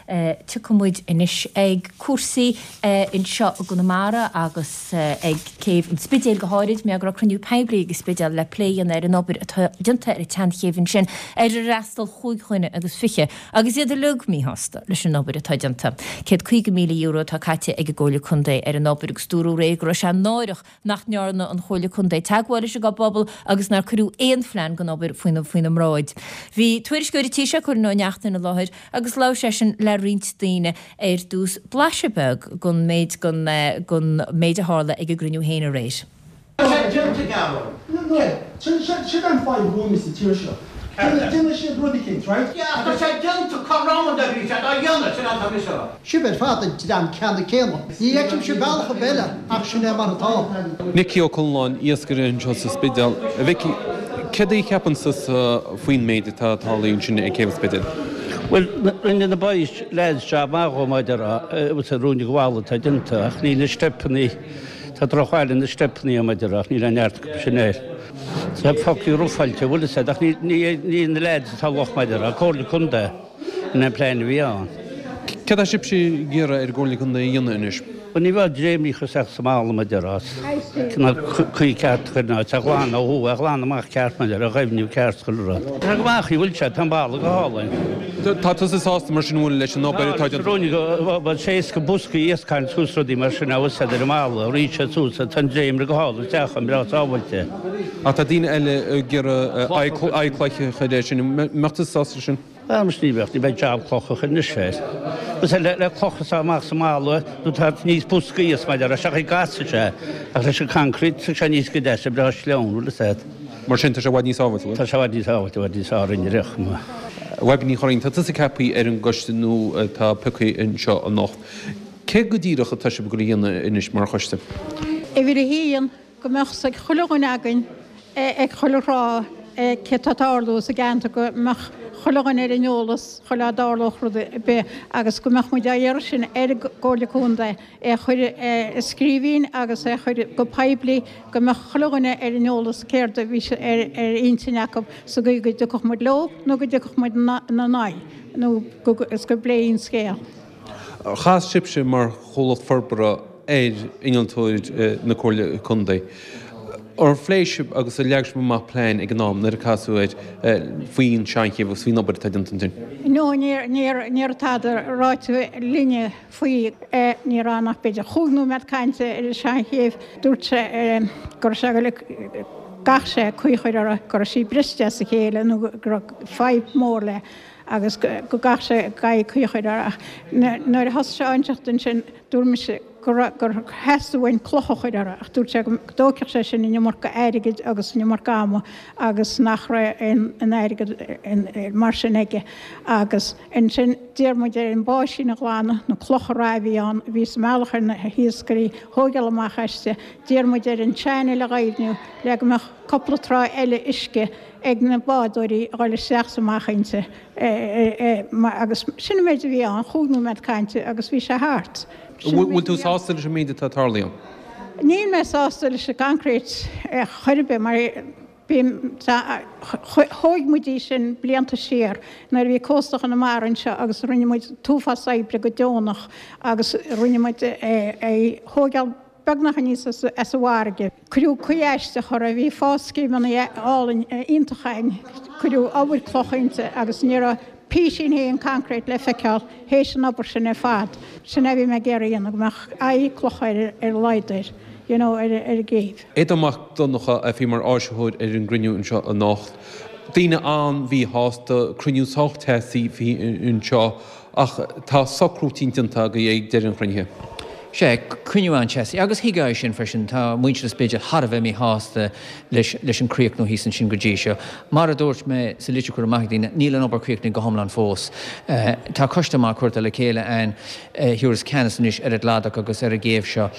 Tiocfaidh muid anois ag cúrsaí anseo i gConamara agus ag céibh an Spidéil go háirid, mar go raibh cruinniú poiblí ag an Spidéal le plé a dhéanamh ar an obair atá déanta ar an tseanchéibh ansin, ar ar fhreastail chúig dhuine agus fiche, agus iad uilig míshásta leis an obair atá déanta. €150,000 atá caite ag an gComhairle Contae ar an obair agus dúradh aréir go raibh sé náireach nach ndearna an Chomhairle Contae teagmháil leis an bpobal agus nár cuireadh aon phlean den obair faoina mbráid. Bhí tuairisceoir an tí seo, Cóilín Ó Neachtain, i láthair agus labhair seisean le roinnt daoine ar dtús. Blaiseadh beag den méid den méid a tharla ag an gcruinniú féin aréir. Tá sé déanta, Gearóid. No, sin an fadhb uainne sa tír seo. Déanann siad rud eicínt, right? Yeah, ach tá sé déanta, cá raibh an bhí sé dá dhéanamh, sin atá mise a rá. Sibh ar fad an dream ceanna céanna. Ní fheicimse bealach ar bith eile ach sin é mar atá. Micí Ó Conalláin, iascaire anseo sa Spidéal. A Mhicí, céard a cheapann tusa faoin méid atá tarlaithe ansin ag Céibh an Spidéil? Bhuel, rinne na boys, lads, job maith dhó, mar a déarfá, agus an ruainne gabhála atá déanta ach níl na steipeanna, tá drochbhail ar na steipeanna, mar a déarfá, ach níl aon neart acu sin air. Tá fucking rufáilte, bhfuil fhios a'd, ach ní na lads atá locht mar a déarfá, Comhairle Contae in an plean a bhí ann. Céard atá sibhse ag iarraidh ar an gComhairle Contae a dhéanamh anois? Bhuel ní bheadh dréimríocha isteach sa mballa mar a déarfá, cineál caoi ceart a chur in áit, a ghlanadh ó thuaidh, a ghlanadh amach ceart mar a déarfá, a ghaibhniú ceart chuile rud. Tá go maith, bhfuil sé, tá an balla go hálainn. Tá tusa sásta mar sin an bhfuil leis an obair atá déanta? Tá, bhuel sé éasca boscaí iasc a tharraingt suas rudaí mar sin a úsáid ar an mballa, rith sé suas, tá an dréimire go hálainn isteach ann, breá sábháilte. Ach tá daoine eile ag iarraidh aghaidh cloiche a chur air sin, an mbeadh tusa sásta leis sin? Bhuel, ní bheadh, ní bheidh jab cloch a chur anois air. Is le le cloch is amach sa mballa nó tá níos boscaí is mar a déarfá, seachas gasfaidh sé ach leis an concrete tá sé níos go deas, breá sleamhain, bhfuil fhios a'd. Mar sin tá sé i bhfad níos sábháilte, bhfuil? Tá sé i bhfad níos sábháilte, i bhfad níos fearr in riocht mo. Bhaibí Ní Churraoin, tá tusa ceaptha ar an gcoiste nua atá pioctha anseo anocht. Cé go díreach atá sibh ag dul a dhéanamh anois mar choiste? Uimhir a haon, go mbeadh 's ag chuile dhuine againn ag chuile thráth cé tá ag tarlú sa gceantar, go mbeadh chuile dhuine ar an eolas chuile á dtarlódh rud ar bith agus go mbeadh muid á iarraidh sin ar an gComhairle Contae é a chur i scríbhinn agus é a chur go poiblí go mbeadh chuile dhuine ar an eolas céard a bhí ar intinn acu sa gcaoi go dtiocfadh muid leo nó go dtiocfadh muid ina n-aghaidh nó go is go bpléifí an scéal. Chas sibhse mar chomhlacht forbartha ar innealtóir na Comhairle Contae. Ar phléigh sibh agus ar leag sibh amach plean ag an am nuair a casadh air faoin seanchéibh agus faoin obair atá déanta ansin? No, ní raibh tada ráite linne faoi. Ní raibh ann ach b'fhéidir chúig nóiméad cainte ar an seanchéibh. Dúirt sé go raibh sé ag goil gcaithfeadh sé caoi a chur uirthi, go raibh sí briste as a chéile nó go raibh fadhb mhór léi agus go gcaithfeadh sé caoi a chur uirthi. Ach nuair a thosaigh sé á inseacht ansin, dúirt mise go raibh, gur theastaigh uainn cloch a chur uirthi ach dúirt sé go dtógfadh sé sin an iomarca airgid agus an iomarca ama agus nach raibh aon airgead mar sin aige agus Ansin d'iarr muid air an báisín a ghlanadh, na clocha reatha a bhí ann, a bhí sa mbealach ar na hiascairí, thóigeáil amach aisti. D'iarr muid air an channel a ghaibhniú le go mbeadh cúpla trá eile uisce ag na bádóirí a dhul isteach is amach inti. Agus sin an méid a bhí ann, chúig nóiméad cainte agus bhí sé thart. Sin an méid a bhí ann. Bhfuil tú sásta leis an méid atá tarlaithe ann? Níl mé sásta leis an gconcrete chor ar bith mar. Bím, thóig muid í sin blianta siar nuair a bhí Cósta Chonamara anseo agus rinne muid an t-uafás oibre go deonach agus rinne muid é a thóigeáil beagnach aníos as an bhfarraige. Cuireadh caoi aisteach uirthi, bhí fáscéimeanna álainn iontacha ann, cuireadh obair cloch inti agus ní raibh písín féin concrete le feiceáil théis an obair sin ar fad. Sin é a bhí mé ag iarraidh a dhéanamh, go mbeadh aghaidh clocha ar a laghad air, you know, ar an gcéibh. Aodán Mac Donncha a bhí mar áisitheoir ar an gcruinniú anseo anocht. Daoine an-mhíshásta, cruinniú sách teasaí a bhí anseo ach tá socrú eicínt déanta agaibh ag deireadh an chruinnithe. Sea, cruinniú an-teasaí agus thuigfeá é sin freisin. Tá muintir an Spidéil thar a bheith míshásta leis leis an críochnú thíos ansin go dtí seo. Mar a dúirt mé sa litir a cuireadh amach ag daoine, níl an obair críochnaithe go hiomlán fós. Tá coiste maith curtha le chéile ann a thiúrfas ceannas anois ar an gcladach agus ar an gcéibh seo.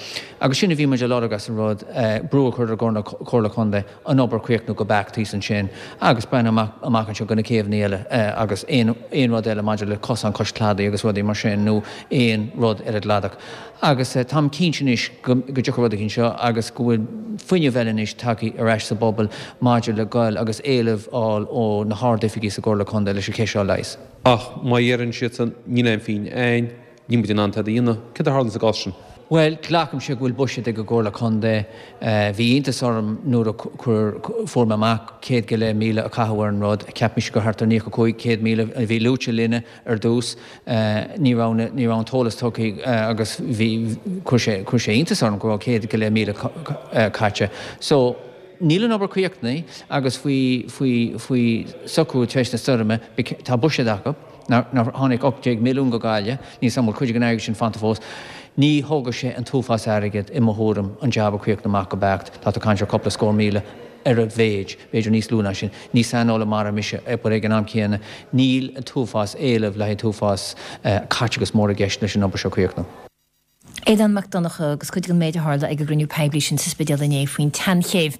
Agus sin a bhí muid a lorg as an rud, brú a chur ar an gComhairle Contae an obair a chríochnú go beacht thíos ansin agus breathnú amach amach anseo go na céibheanna eile agus aon aon rud eile maidir le cosán cois cladaigh agus rudaí mar sin nó aon rud ar an gcladach. Agus. Agus táim cinnte anois go dtiocfaidh rud éicint seo agus go bhfuil fuinneamh eile anois tagtha ar ais sa bpobal maidir le goil agus éileamh fháil ó na hard-oifigigh sa gComhairle Contae leis an cheist seo a leigheas. Ach má dheireann siadsan níl aon phingin a'ainn, níl muid in ann tada a dhéanamh, céard a tharlaíonn sa gcás sin? Bhuel, glacaimse go bhfuil buiséad ag an gComhairle Contae. Bhí iontas orm nuair a chuir, fuair mé amach 100,000 a caitheadh ar an rud. Cheap mise gur thart ar 95, 100,000 a bhí luaite linne ar dtús. Ní raibh na, ní raibh an t-eolas tugtha agus bhí, chuir sé, chuir sé iontas orm go raibh 100,000 caite. So, níl an obair críochnaithe agus faoi, faoi, faoi socrú tar éis na stoirme, tá buiséad acu. Nár tháinig 18 milliún go Gaillimh, níl 's a'm an bhfuil cuid den airgead sin fanta fós. Ní thógfaidh sé an t-uafás airgid, i mo thuairim, an jab a chríochnú amach go beacht. Tá tú ag caint ar cúpla scór míle ar a mhéid, b'fhéidir níos lú ná sin. Ní saineolaí mara mise, but ag an am céanna, níl an t-uafás éileamh le haghaidh an t-uafás caiteachas mór i gceist leis an obair seo a chríochnú. Aodán Mac Donncha agus cuid den méid a tharla ag an gcruinniú poiblí sin sa Spidéal inné faoin tSeanchéibh.